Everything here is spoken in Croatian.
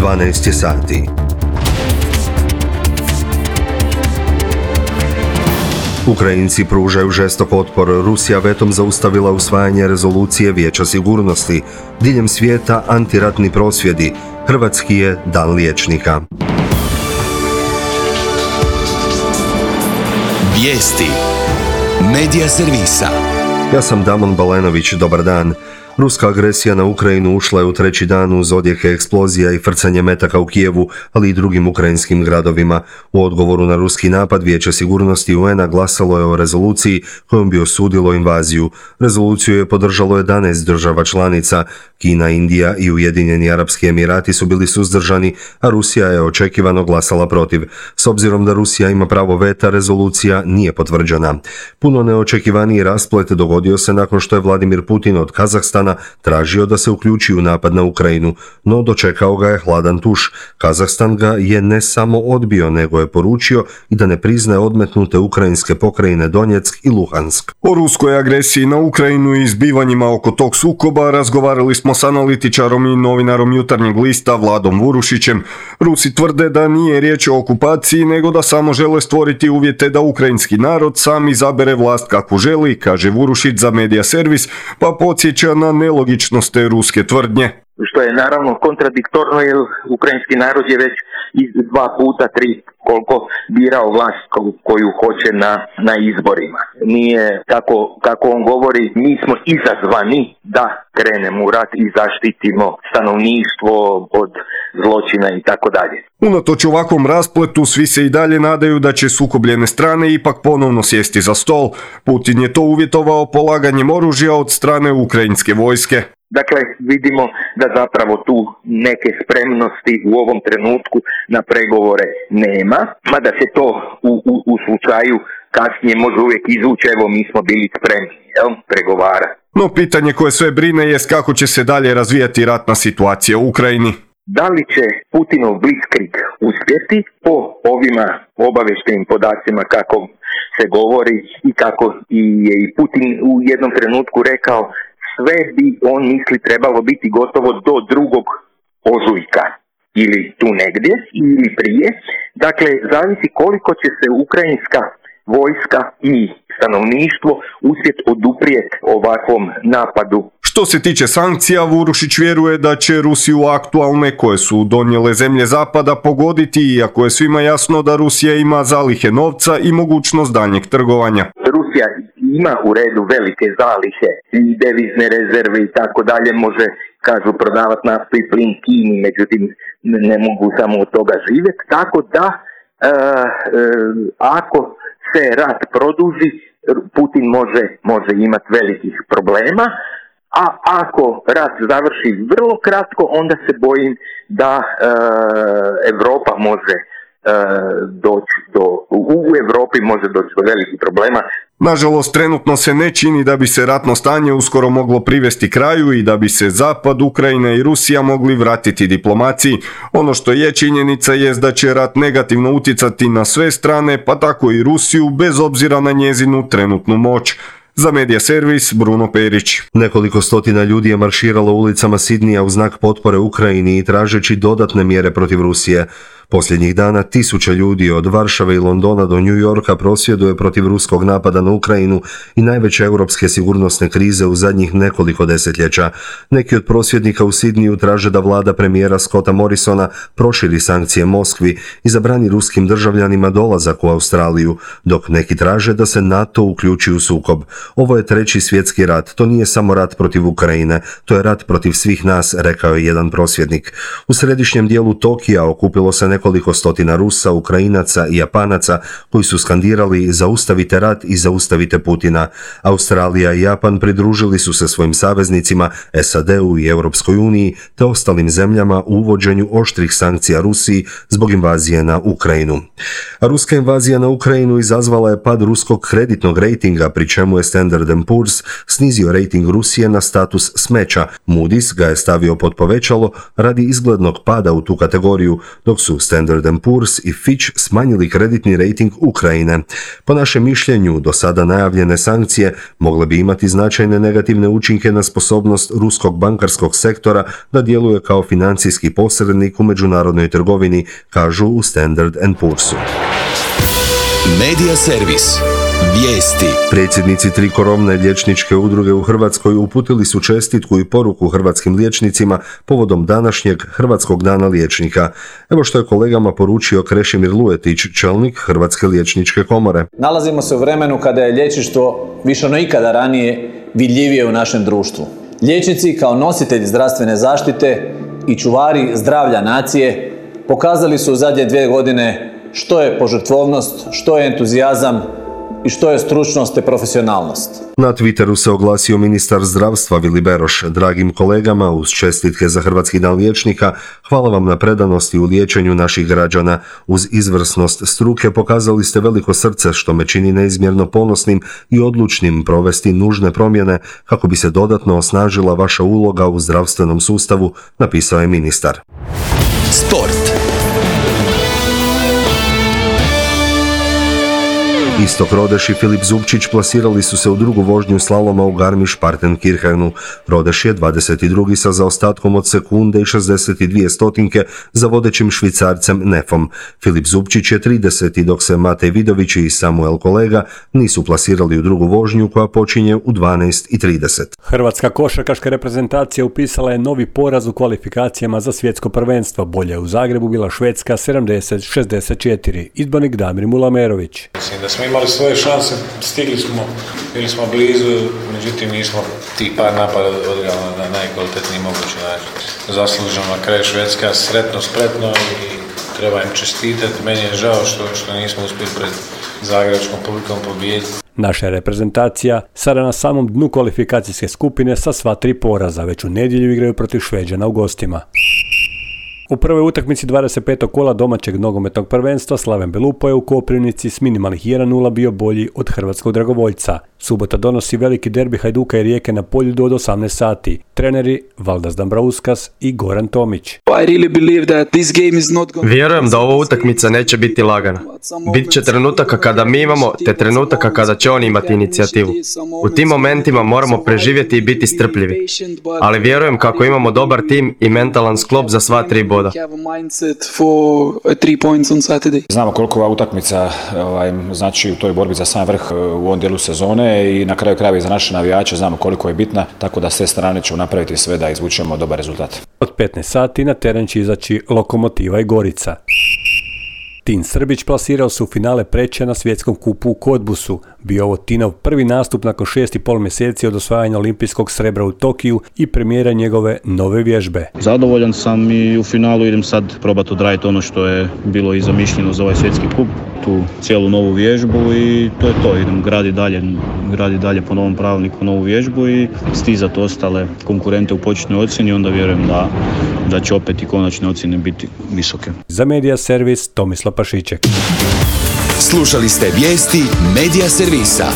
12 je sati. Ukrajinci pružaju žestok otpor. Rusija vetom zaustavila usvajanje rezolucije Vijeća sigurnosti. Diljem svijeta antiratni prosvjedi. Hrvatski je dan liječnika. Vijesti Medija servisa. Ja sam Damon Balenović, dobar dan. Ruska agresija na Ukrajinu ušla je u treći dan uz odjeke eksplozija i frcanje metaka u Kijevu, ali i drugim ukrajinskim gradovima. U odgovoru na ruski napad Vijeće sigurnosti UN-a glasalo je o rezoluciji kojom bi osudilo invaziju. Rezoluciju je podržalo 11 država članica. Kina, Indija i Ujedinjeni Arapski Emirati su bili suzdržani, a Rusija je očekivano glasala protiv. S obzirom da Rusija ima pravo veta, rezolucija nije potvrđena. Puno neočekivaniji rasplet dogodio se nakon što je Vladimir Putin od Kazahstana tražio da se uključi u napad na Ukrajinu, no dočekao ga je hladan tuš. Kazahstan ga je ne samo odbio, nego je poručio i da ne priznaje odmetnute ukrajinske pokrajine Donjeck i Luhansk. O ruskoj agresiji na Ukrajinu i zbivanjima oko tog sukoba razgovarali smo s analitičarom i novinarom Jutarnjeg lista Vladom Vurušićem. Rusi tvrde da nije riječ o okupaciji, nego da samo žele stvoriti uvjete da ukrajinski narod sam izabere vlast kakvu želi, kaže Vurušić za Medija servis, pa podsjeća na nelogičnost te ruske tvrdnje. Što je naravno kontradiktorno jer ukrajinski narod je već 2 puta, 3 koliko birao vlast koju hoće na izborima. Nije kako on govori, mi smo izazvani da krenemo u rat i zaštitimo stanovništvo od zločina i tako dalje. Unatoč ovakvom raspletu svi se i dalje nadaju da će sukobljene strane ipak ponovno sjesti za stol. Putin je to uvjetovao polaganjem oružja od strane ukrajinske vojske. Dakle, vidimo da zapravo tu neke spremnosti u ovom trenutku na pregovore nema, mada se to u slučaju kasnije može uvijek izvući, evo mi smo bili spremni, pregovara. No pitanje koje sve brine jest kako će se dalje razvijati ratna situacija u Ukrajini. Da li će Putinov blitzkrieg uspjeti po ovima obavještajnim podacima kako se govori i kako je i Putin u jednom trenutku rekao sve bi on misli trebalo biti gotovo do 2. ožujka ili tu negdje ili prije. Dakle, zavisi koliko će se ukrajinska vojska i stanovništvo uspjeti oduprijeti ovakvom napadu. Što se tiče sankcija, Vurušić vjeruje da će Rusiju aktualne koje su donijele zemlje zapada pogoditi, iako je svima jasno da Rusija ima zalihe novca i mogućnost daljnjeg trgovanja. Rusija ima u redu velike zalihe i devizne rezerve i tako dalje, može, kažu, prodavati naftu i plin Kini, međutim ne mogu samo od toga živjeti, tako da ako se rat produži, Putin može imati velikih problema, a ako rat završi vrlo kratko, onda se bojim da Europa može u Europi može doći do velikih problema. Nažalost, trenutno se ne čini da bi se ratno stanje uskoro moglo privesti kraju i da bi se Zapad, Ukrajina i Rusija mogli vratiti diplomaciji. Ono što je činjenica jest da će rat negativno utjecati na sve strane, pa tako i Rusiju, bez obzira na njezinu trenutnu moć. Za Medija servis, Bruno Perić. Nekoliko stotina ljudi je marširalo ulicama Sidnija u znak potpore Ukrajini i tražeći dodatne mjere protiv Rusije. Posljednjih dana tisuće ljudi od Varšave i Londona do New Yorka prosvjeduje protiv ruskog napada na Ukrajinu i najveće europske sigurnosne krize u zadnjih nekoliko desetljeća. Neki od prosvjednika u Sidniju traže da vlada premijera Scotta Morrisona proširi sankcije Moskvi i zabrani ruskim državljanima dolazak u Australiju, dok neki traže da se NATO uključi u sukob. Ovo je treći svjetski rat, to nije samo rat protiv Ukrajine, to je rat protiv svih nas, rekao je jedan prosvjednik. U središnjem dijelu Tokija okupilo se nekoliko stotina Rusa, Ukrajinaca i Japanaca koji su skandirali zaustavite rat i zaustavite Putina. Australija i Japan pridružili su se svojim saveznicima SAD-u i Europskoj uniji te ostalim zemljama u uvođenju oštrih sankcija Rusiji zbog invazije na Ukrajinu. A ruska invazija na Ukrajinu izazvala je pad ruskog kreditnog rejtinga, pri čemu je Standard & Poor's snizio rejting Rusije na status smeća. Moody's ga je stavio pod povećalo radi izglednog pada u tu kategoriju, dok su Standard & Poor's i Fitch smanjili kreditni rejting Ukrajine. Po našem mišljenju, do sada najavljene sankcije mogle bi imati značajne negativne učinke na sposobnost ruskog bankarskog sektora da djeluje kao financijski posrednik u međunarodnoj trgovini, kažu u Standard & Poor'su. Medija servis. Vijesti. Predsjednici 3 krovne liječničke udruge u Hrvatskoj uputili su čestitku i poruku hrvatskim liječnicima povodom današnjeg Hrvatskog dana liječnika. Evo što je kolegama poručio Krešimir Lujetić, čelnik Hrvatske liječničke komore. Nalazimo se u vremenu kada je liječništvo više no ikada ranije vidljivije u našem društvu. Liječnici kao nositelji zdravstvene zaštite i čuvari zdravlja nacije pokazali su u zadnje 2 godine što je požrtvovnost, što je entuzijazam i što je stručnost te profesionalnost. Na Twitteru se oglasio ministar zdravstva Vili Beroš. Dragim kolegama, uz čestitke za Hrvatski dan liječnika, hvala vam na predanosti u liječenju naših građana. Uz izvrsnost struke pokazali ste veliko srce što me čini neizmjerno ponosnim i odlučnim provesti nužne promjene kako bi se dodatno osnažila vaša uloga u zdravstvenom sustavu, napisao je ministar. Sport. Istok Rodeš i Filip Zubčić plasirali su se u drugu vožnju slaloma u Garmisch-Partenkirchenu. Rodeš je 22. sa zaostatkom od sekunde i 62 stotinke za vodećim Švicarcem Nefom. Filip Zubčić je 30. dok se Matej Vidović i Samuel Kolega nisu plasirali u drugu vožnju koja počinje u 12:30. Hrvatska košarkaška reprezentacija upisala je novi poraz u kvalifikacijama za svjetsko prvenstvo. Bolje je u Zagrebu bila Švedska 70-64. Izbornik Damir Mulamerović. Mislim da smo imali svoje šanse, stigli smo, bili smo blizu, međutim nismo tih par napada odigrali na najkvalitetniji mogući način. Zasluženo na kraju Švedska sretno, spretno i treba im čestitati. Meni je žao što nismo uspjeli pred zagrebačkom publikom pobijediti. Naša reprezentacija sada na samom dnu kvalifikacijske skupine sa sva 3 poraza, već u nedjelju igraju protiv Šveđana u gostima. U prvoj utakmici 25. kola domaćeg nogometnog prvenstva Slaven Belupo je u Koprivnici s minimalnih 1:0 bio bolji od hrvatskog dragovoljca. Subota donosi veliki derbi Hajduka i Rijeke na Poljudu od 18 sati. Treneri Valdas Dambrauskas i Goran Tomić. Vjerujem da ova utakmica neće biti lagana. Bit će trenutaka kada mi imamo, te trenutaka kada će oni imati inicijativu. U tim momentima moramo preživjeti i biti strpljivi. Ali vjerujem kako imamo dobar tim i mentalan sklop za sva 3 boda. Znamo koliko ova utakmica znači u toj borbi za sam vrh u ovom dijelu sezone i na kraju krajeva i za naše navijače znamo koliko je bitna, tako da s te strane ćemo napraviti sve da izvučemo dobar rezultat. Od 15 sati na teren će izaći Lokomotiva i Gorica. Tin Srbić plasirao se u finale Preča na svjetskom kupu u Kodbusu. Bio ovo Tinov prvi nastup nakon 6,5 mjeseci od osvajanja olimpijskog srebra u Tokiju i premijera njegove nove vježbe. Zadovoljan sam i u finalu idem sad probati odraditi ono što je bilo i zamišljeno za ovaj svjetski kup, tu cijelu novu vježbu i to je to. Idem gradi dalje po novom pravilniku novu vježbu i stizati ostale konkurente u početnoj ocjeni, onda vjerujem da će opet i konačne ocjene biti visoke. Za Medija servis Tomislav Pašiček. Slušali ste vijesti Medija servisa.